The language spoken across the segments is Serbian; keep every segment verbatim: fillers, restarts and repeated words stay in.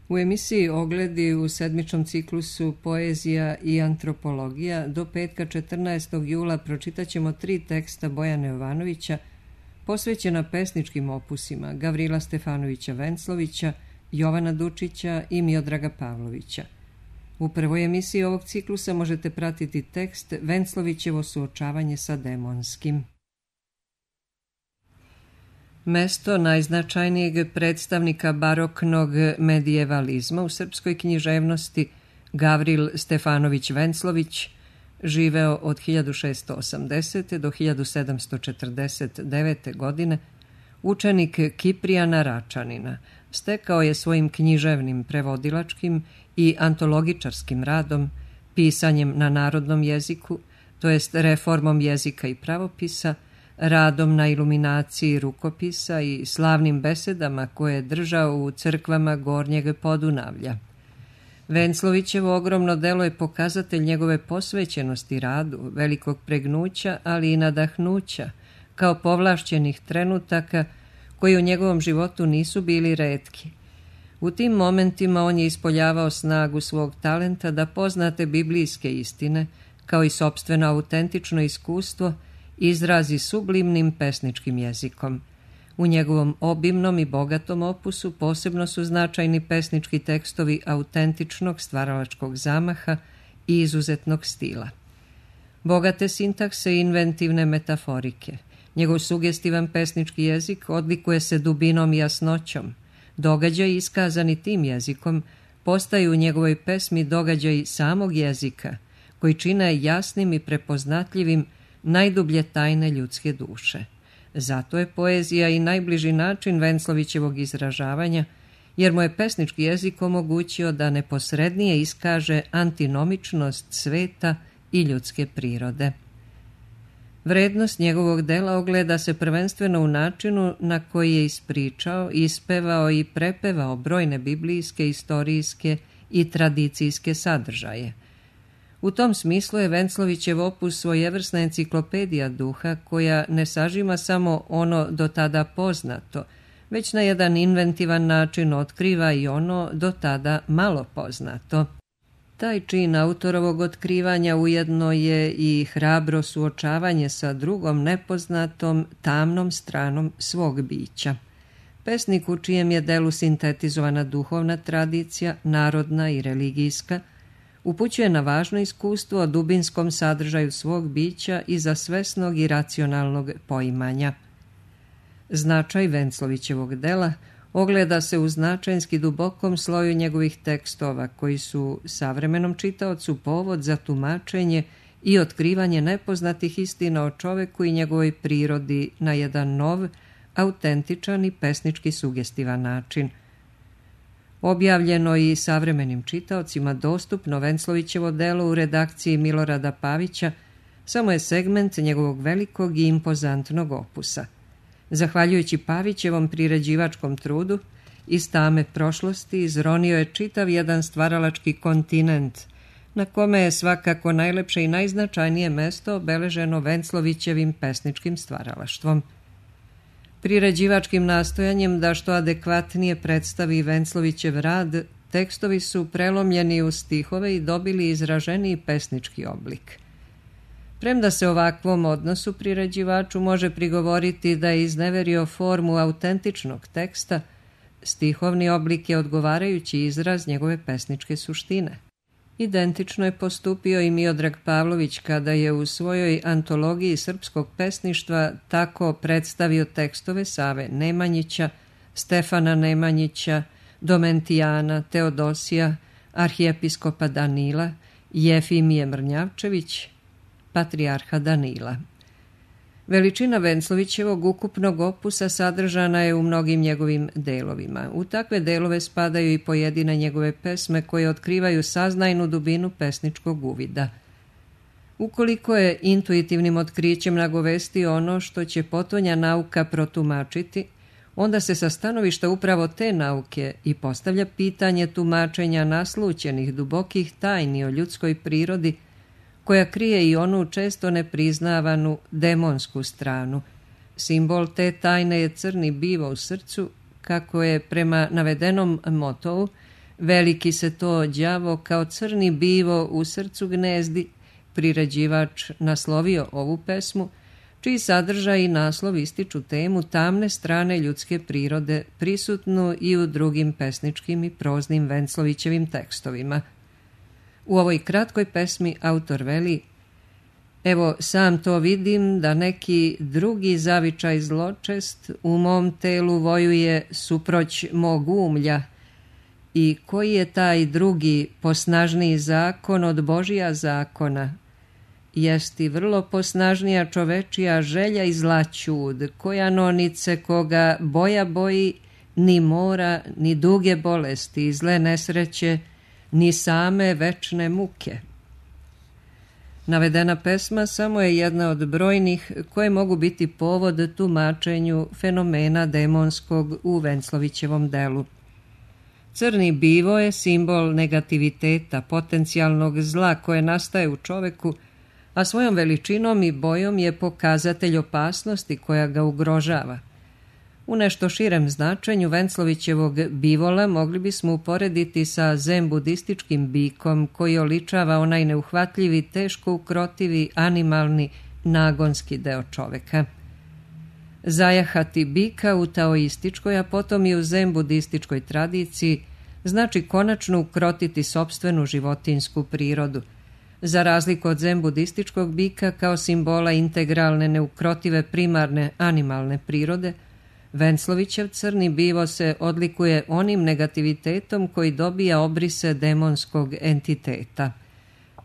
U emisiji Ogledi u sedmičnom ciklusu Poezija i antropologija do petka četrnaestog jula pročitat ćemo tri teksta Bojana Jovanovića posvećena pesničkim opusima Gavrila Stefanovića Venclovića, Jovana Dučića i Miodraga Pavlovića. U prvoj emisiji ovog ciklusa možete pratiti tekst Venclovićevo suočavanje sa demonskim. Mesto najznačajnijeg predstavnika baroknog medijevalizma u srpskoj književnosti, Gavril Stefanović Venclović, živeo od hiljadu šeststo osamdesete. do hiljadu sedamsto četrdeset devete. godine, učenik Kiprijana Račanina, stekao je svojim književnim, prevodilačkim i antologičarskim radom, pisanjem na narodnom jeziku, to jest reformom jezika i pravopisa, radom na iluminaciji rukopisa i slavnim besedama koje je držao u crkvama Gornjeg Podunavlja. Venclovićevo ogromno delo je pokazatelj njegove posvećenosti radu, velikog pregnuća, ali i nadahnuća, kao povlašćenih trenutaka koji u njegovom životu nisu bili retki. U tim momentima on je ispoljavao snagu svog talenta da poznate biblijske istine, kao i sopstveno autentično iskustvo, izrazi sublimnim pesničkim jezikom. U njegovom obimnom i bogatom opusu posebno su značajni pesnički tekstovi autentičnog stvaralačkog zamaha i izuzetnog stila. Bogate sintakse i inventivne metaforike. Njegov sugestivan pesnički jezik odlikuje se dubinom i jasnoćom. Događaji iskazani tim jezikom postaju u njegovoj pesmi događaji samog jezika, koji čine jasnim i prepoznatljivim najdublje tajne ljudske duše. Zato je poezija i najbliži način Venclovićevog izražavanja, jer mu je pesnički jezik omogućio da neposrednije iskaže antinomičnost sveta i ljudske prirode. Vrednost njegovog dela ogleda se prvenstveno u načinu na koji je ispričao, ispevao i prepevao brojne biblijske, istorijske i tradicijske sadržaje. U tom smislu je Venclovićev opus svojevrsna enciklopedija duha koja ne sažima samo ono do tada poznato, već na jedan inventivan način otkriva i ono do tada malo poznato. Taj čin autorovog otkrivanja ujedno je i hrabro suočavanje sa drugom nepoznatom, tamnom stranom svog bića. Pesnik u čijem je delu sintetizovana duhovna tradicija, narodna i religijska, upućuje na važno iskustvo o dubinskom sadržaju svog bića i za svesnog i racionalnog poimanja. Značaj Venclovićevog dela ogleda se u značajnski dubokom sloju njegovih tekstova, koji su savremenom čitaocu povod za tumačenje i otkrivanje nepoznatih istina o čoveku i njegovoj prirodi na jedan nov, autentičan i pesnički sugestivan način. Objavljeno i savremenim čitaocima dostupno Venclovićevo delo u redakciji Milorada Pavića samo je segment njegovog velikog i impozantnog opusa. Zahvaljujući Pavićevom priređivačkom trudu, iz tame prošlosti izronio je čitav jedan stvaralački kontinent, na kome je svakako najlepše i najznačajnije mesto obeleženo Venclovićevim pesničkim stvaralaštvom. Priređivačkim nastojanjem da što adekvatnije predstavi Venclovićev rad, tekstovi su prelomljeni u stihove i dobili izraženiji pesnički oblik. Premda se ovakvom odnosu priređivaču može prigovoriti da je izneverio formu autentičnog teksta, stihovni oblik je odgovarajući izraz njegove pesničke suštine. Identično je postupio i Miodrag Pavlović kada je u svojoj antologiji srpskog pesništva tako predstavio tekstove Save Nemanjića, Stefana Nemanjića, Domentijana, Teodosija, arhijepiskopa Danila, Jefimije Mrnjavčević, patrijarha Danila. Veličina Venclovićevog ukupnog opusa sadržana je u mnogim njegovim delovima. U takve delove spadaju i pojedine njegove pesme koje otkrivaju saznajnu dubinu pesničkog uvida. Ukoliko je intuitivnim otkrićem nagovestio ono što će potonja nauka protumačiti, onda se sa stanovišta upravo te nauke i postavlja pitanje tumačenja naslućenih dubokih tajni o ljudskoj prirodi, koja krije i onu često nepriznavanu demonsku stranu. Simbol te tajne je crni bivo u srcu, kako je prema navedenom motovu Veliki se to đavo kao crni bivo u srcu gnezdi, priređivač naslovio ovu pesmu, čiji sadržaj i naslov ističu temu tamne strane ljudske prirode, prisutnu i u drugim pesničkim i proznim Venclovićevim tekstovima. U ovoj kratkoj pesmi autor veli: evo, sam to vidim da neki drugi zavičaj zločest u mom telu vojuje suproć mog umlja, i koji je taj drugi posnažniji zakon od Božija zakona? Jesti vrlo posnažnija čovečija želja i zla ćud, koja nonice koga boja boji, ni mora, ni duge bolesti, zle nesreće, ni same večne muke. Navedena pesma samo je jedna od brojnih koje mogu biti povod tumačenju fenomena demonskog u Venclovićevom delu. Crni bivo je simbol negativiteta, potencijalnog zla koje nastaje u čoveku, a svojom veličinom i bojom je pokazatelj opasnosti koja ga ugrožava. U nešto širem značenju Venclovićevog bivola mogli bismo uporediti sa zen-budističkim bikom koji oličava onaj neuhvatljivi, teško ukrotivi, animalni, nagonski deo čoveka. Zajahati bika u taoističkoj, a potom i u zen-budističkoj tradiciji znači konačno ukrotiti sopstvenu životinjsku prirodu. Za razliku od zen-budističkog bika kao simbola integralne, neukrotive, primarne, animalne prirode, Venclovićev crni bivo se odlikuje onim negativitetom koji dobija obrise demonskog entiteta.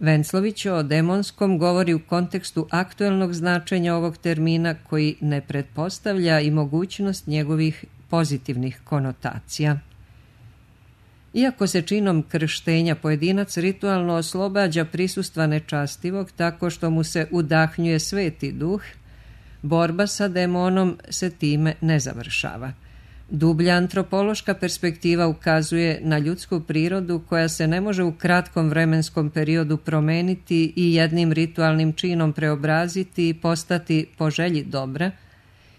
Venclović o demonskom govori u kontekstu aktuelnog značenja ovog termina koji ne pretpostavlja i mogućnost njegovih pozitivnih konotacija. Iako se činom krštenja pojedinac ritualno oslobađa prisustva nečastivog tako što mu se udahnjuje sveti duh, borba sa demonom se time ne završava. Dublja antropološka perspektiva ukazuje na ljudsku prirodu koja se ne može u kratkom vremenskom periodu promeniti i jednim ritualnim činom preobraziti i postati po želji dobra,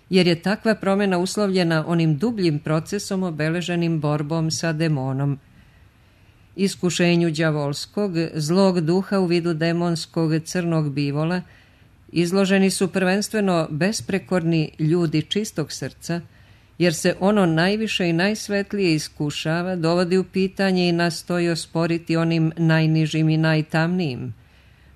jer je takva promjena uslovljena onim dubljim procesom obeleženim borbom sa demonom. Iskušenju đavolskog, zlog duha u vidu demonskog crnog bivola izloženi su prvenstveno besprekorni ljudi čistog srca, jer se ono najviše i najsvetlije iskušava, dovodi u pitanje i nastoji osporiti onim najnižim i najtamnijim.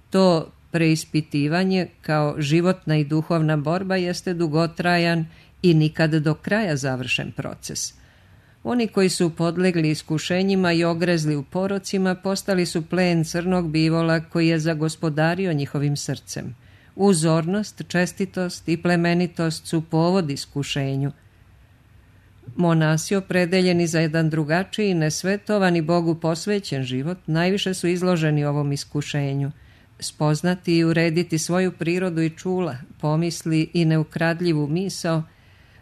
To preispitivanje kao životna i duhovna borba jeste dugotrajan i nikad do kraja završen proces. Oni koji su podlegli iskušenjima i ogrezli u porocima postali su plen crnog bivola koji je zagospodario njihovim srcem. Uzornost, čestitost i plemenitost su povod iskušenju. Monasi opredeljeni za jedan drugačiji, nesvetovan i Bogu posvećen život najviše su izloženi ovom iskušenju. Spoznati i urediti svoju prirodu i čula, pomisli i neukradljivu misao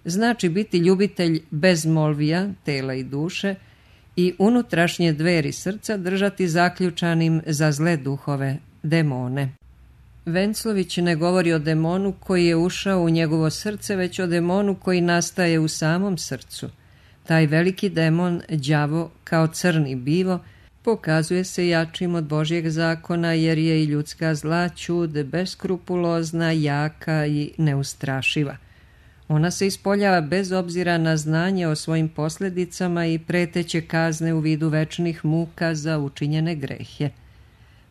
znači biti ljubitelj bezmolvija, tela i duše, i unutrašnje dveri srca držati zaključanim za zle duhove, demone. Venclović ne govori o demonu koji je ušao u njegovo srce, već o demonu koji nastaje u samom srcu. Taj veliki demon, đavo, kao crni bivo, pokazuje se jačim od Božjeg zakona, jer je i ljudska zla ćud beskrupulozna, jaka i neustrašiva. Ona se ispoljava bez obzira na znanje o svojim posljedicama i preteće kazne u vidu večnih muka za učinjene grehe.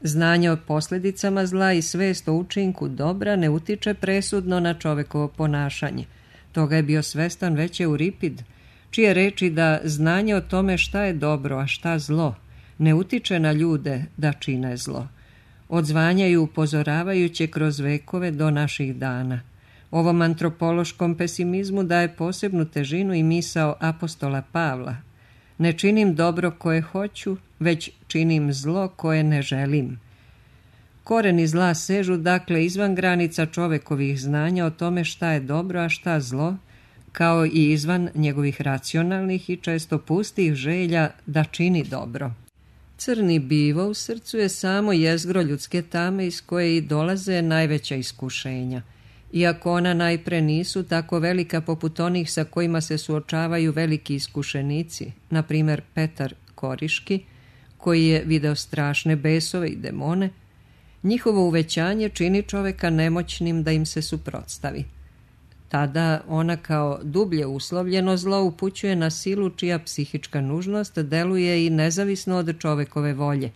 Znanje o posljedicama zla i svest o učinku dobra ne utiče presudno na čovekovo ponašanje. Toga je bio svestan već Euripid, čije reči da znanje o tome šta je dobro, a šta zlo, ne utiče na ljude da čine zlo. Odzvanjaju upozoravajuće kroz vekove do naših dana. Ovom antropološkom pesimizmu daje posebnu težinu i misao apostola Pavla. Ne činim dobro koje hoću, već činim zlo koje ne želim. Koreni zla sežu dakle izvan granica čovekovih znanja o tome šta je dobro, a šta zlo, kao i izvan njegovih racionalnih i često pustih želja da čini dobro. Crni bivo u srcu je samo jezgro ljudske tame iz koje i dolaze najveća iskušenja. Iako ona najpre nisu tako velika poput onih sa kojima se suočavaju veliki iskušenici, na primjer Petar Koriški, koji je video strašne besove i demone, njihovo uvećanje čini čoveka nemoćnim da im se suprotstavi. Tada ona kao dublje uslovljeno zlo upućuje na silu čija psihička nužnost deluje i nezavisno od čovekove volje.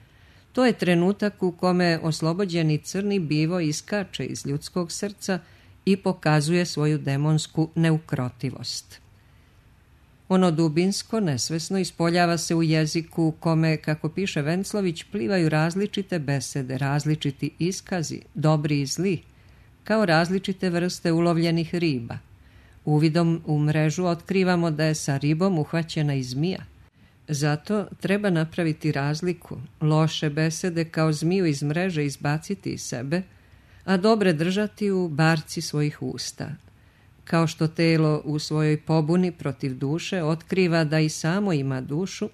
To je trenutak u kome oslobođeni crni bivo iskače iz ljudskog srca i pokazuje svoju demonsku neukrotivost. Ono dubinsko, nesvesno ispoljava se u jeziku u kome, kako piše Venclović, plivaju različite besede, različiti iskazi, dobri i zli, kao različite vrste ulovljenih riba. Uvidom u mrežu otkrivamo da je sa ribom uhvaćena i zmija. Zato treba napraviti razliku, loše besede kao zmiju iz mreže izbaciti iz sebe, a dobre držati u barci svojih usta. Kao što telo u svojoj pobuni protiv duše otkriva da i samo ima dušu,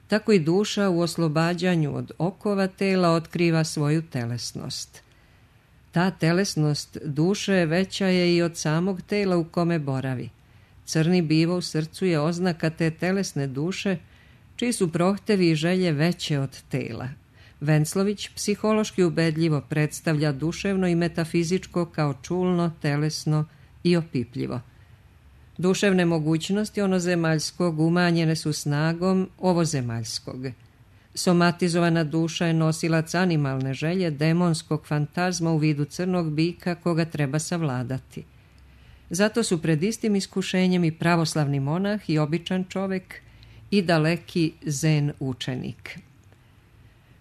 tako i duša u oslobađanju od okova tela otkriva svoju telesnost. Ta telesnost duše veća je i od samog tela u kome boravi. Crni bivo u srcu je oznaka te telesne duše, čiji su prohtevi i želje veće od tela. Venclović psihološki ubedljivo predstavlja duševno i metafizičko kao čulno, telesno i opipljivo. Duševne mogućnosti onozemaljskog umanjene su snagom ovozemaljskog. Somatizovana duša je nosilac animalne želje, demonskog fantazma u vidu crnog bika koga treba savladati. Zato su pred istim iskušenjem i pravoslavni monah i običan čovek i daleki zen učenik.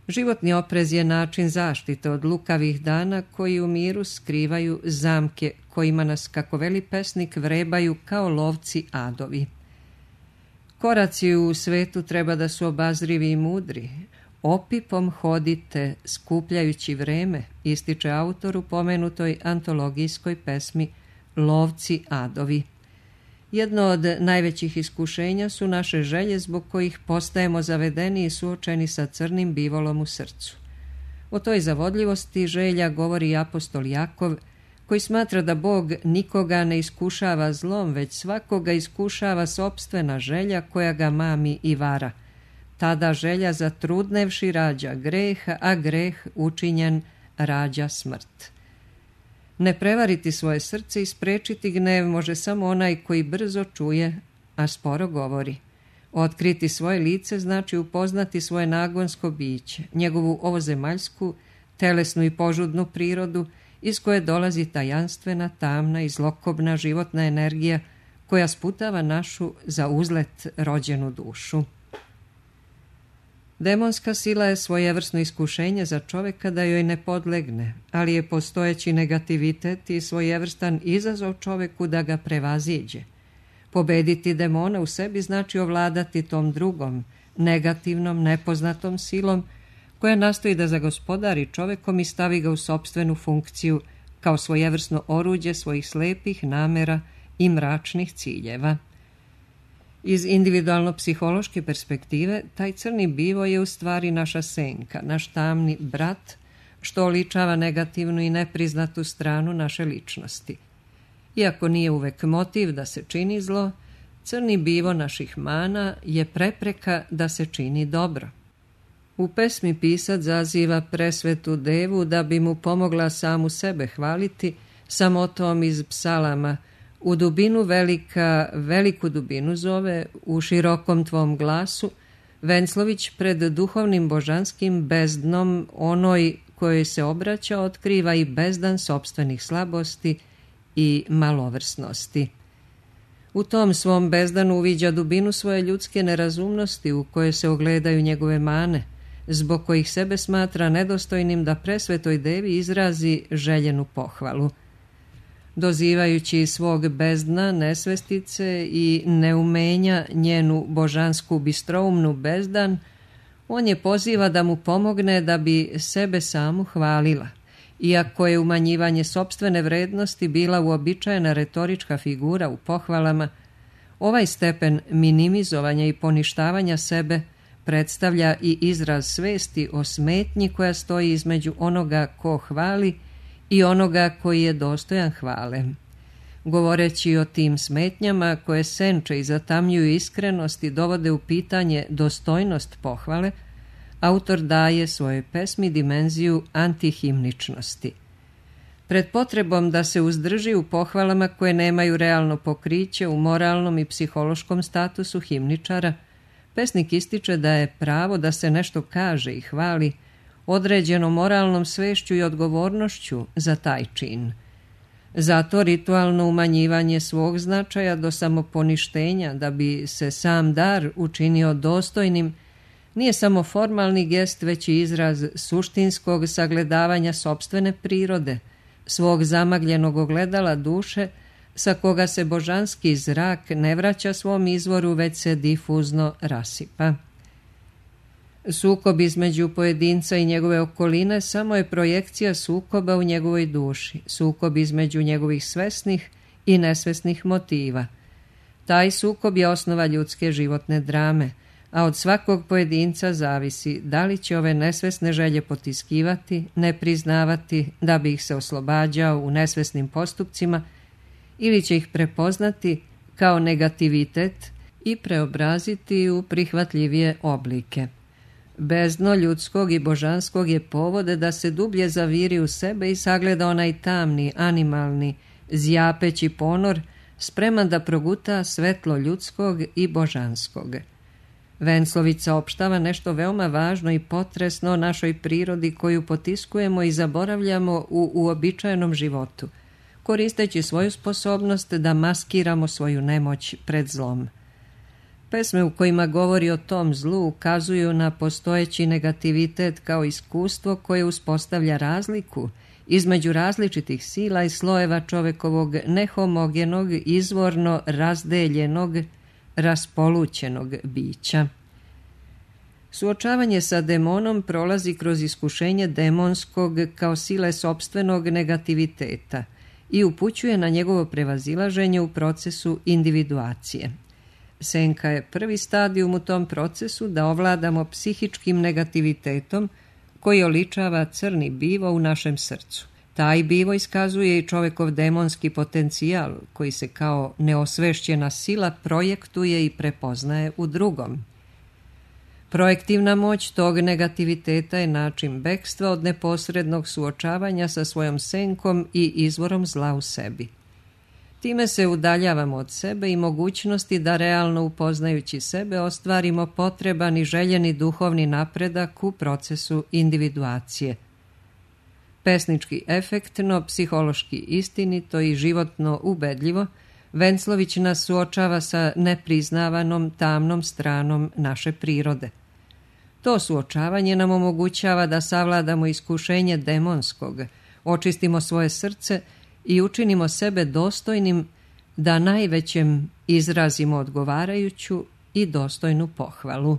Životni oprez je način zaštite od lukavih dana koji u miru skrivaju zamke kojima nas, kako veli pesnik, vrebaju kao lovci adovi. Koraci u svetu treba da su obazrivi i mudri. Opipom hodite, skupljajući vreme, ističe autor u pomenutoj antologijskoj pesmi Lovci adovi. Jedno od najvećih iskušenja su naše želje zbog kojih postajemo zavedeni i suočeni sa crnim bivolom u srcu. O toj zavodljivosti želja govori apostol Jakov, koji smatra da Bog nikoga ne iskušava zlom, već svakoga iskušava sopstvena želja koja ga mami i vara. Tada želja zatrudnevši rađa greh, a greh učinjen rađa smrt. Ne prevariti svoje srce i sprečiti gnev može samo onaj koji brzo čuje, a sporo govori. Otkriti svoje lice znači upoznati svoje nagonsko biće, njegovu ovozemaljsku, telesnu i požudnu prirodu, iz koje dolazi tajanstvena, tamna i zlokobna životna energija koja sputava našu za uzlet rođenu dušu. Demonska sila je svojevrsno iskušenje za čoveka da joj ne podlegne, ali je postojeći negativitet i svojevrstan izazov čoveku da ga prevaziđe. Pobediti demona u sebi znači ovladati tom drugom, negativnom, nepoznatom silom koja nastoji da zagospodari čovekom i stavi ga u sopstvenu funkciju kao svojevrsno oruđe svojih slepih namera i mračnih ciljeva. Iz individualno-psihološke perspektive, taj crni bivo je u stvari naša senka, naš tamni brat, što oličava negativnu i nepriznatu stranu naše ličnosti. Iako nije uvek motiv da se čini zlo, crni bivo naših mana je prepreka da se čini dobro. U pesmi pisac zaziva presvetu devu da bi mu pomogla samu sebe hvaliti sa motom iz psalama: u dubinu velika, veliku dubinu zove, u širokom tvom glasu, Venclović pred duhovnim božanskim bezdnom, onoj kojoj se obraća, otkriva i bezdan sopstvenih slabosti i malovrsnosti. U tom svom bezdanu uviđa dubinu svoje ljudske nerazumnosti u kojoj se ogledaju njegove mane, zbog kojih sebe smatra nedostojnim da presvetoj devi izrazi željenu pohvalu. Dozivajući svog bezdna, nesvestice i neumenja njenu božansku bistroumnu bezdan, on je poziva da mu pomogne da bi sebe samu hvalila. Iako je umanjivanje sopstvene vrednosti bila uobičajena retorička figura u pohvalama, ovaj stepen minimizovanja i poništavanja sebe predstavlja i izraz svesti o smetnji koja stoji između onoga ko hvali i onoga koji je dostojan hvale. Govoreći o tim smetnjama koje senče i zatamljuju iskrenost i dovode u pitanje dostojnost pohvale, autor daje svojoj pesmi dimenziju antihimničnosti. Pred potrebom da se uzdrži u pohvalama koje nemaju realno pokriće u moralnom i psihološkom statusu himničara, pesnik ističe da je pravo da se nešto kaže i hvali određeno moralnom svešću i odgovornošću za taj čin. Zato ritualno umanjivanje svog značaja do samoponištenja da bi se sam dar učinio dostojnim nije samo formalni gest, već i izraz suštinskog sagledavanja sopstvene prirode, svog zamagljenog ogledala duše, sa koga se božanski zrak ne vraća svom izvoru, već se difuzno rasipa. Sukob između pojedinca i njegove okoline samo je projekcija sukoba u njegovoj duši, sukob između njegovih svesnih i nesvesnih motiva. Taj sukob je osnova ljudske životne drame, a od svakog pojedinca zavisi da li će ove nesvesne želje potiskivati, ne priznavati da bi ih se oslobađao u nesvesnim postupcima ili će ih prepoznati kao negativitet i preobraziti u prihvatljivije oblike. Bezdno ljudskog i božanskog je povode da se dublje zaviri u sebe i sagleda onaj tamni, animalni, zjapeći ponor, spreman da proguta svetlo ljudskog i božanskog. Venclović saopštava nešto veoma važno i potresno o našoj prirodi koju potiskujemo i zaboravljamo u uobičajenom životu, koristeći svoju sposobnost da maskiramo svoju nemoć pred zlom. Pesme u kojima govori o tom zlu ukazuju na postojeći negativitet kao iskustvo koje uspostavlja razliku između različitih sila i slojeva čovekovog nehomogenog, izvorno razdeljenog, raspolućenog bića. Suočavanje sa demonom prolazi kroz iskušenje demonskog kao sile sopstvenog negativiteta i upućuje na njegovo prevazilaženje u procesu individuacije. Senka je prvi stadijum u tom procesu da ovladamo psihičkim negativitetom koji oličava crni bivo u našem srcu. Taj bivo iskazuje i čovekov demonski potencijal koji se kao neosvešćena sila projektuje i prepoznaje u drugom. Projektivna moć tog negativiteta je način bekstva od neposrednog suočavanja sa svojom senkom i izvorom zla u sebi. Time se udaljavamo od sebe i mogućnosti da realno upoznajući sebe ostvarimo potreban i željeni duhovni napredak u procesu individuacije. Pesnički efektno, psihološki istinito i životno ubedljivo, Venclović nas suočava sa nepriznavanom tamnom stranom naše prirode. To suočavanje nam omogućava da savladamo iskušenje demonskog, očistimo svoje srce i učinimo sebe dostojnim da najvećem izrazimo odgovarajuću i dostojnu pohvalu.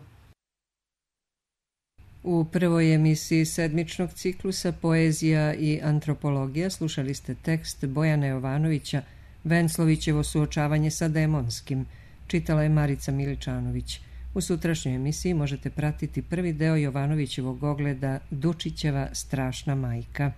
U prvoj emisiji sedmičnog ciklusa Poezija i antropologija slušali ste tekst Bojana Jovanovića Venclovićevo suočavanje sa demonskim. Čitala je Marica Miličanović. U sutrašnjoj emisiji možete pratiti prvi deo Jovanovićevog ogleda Dučićeva strašna majka.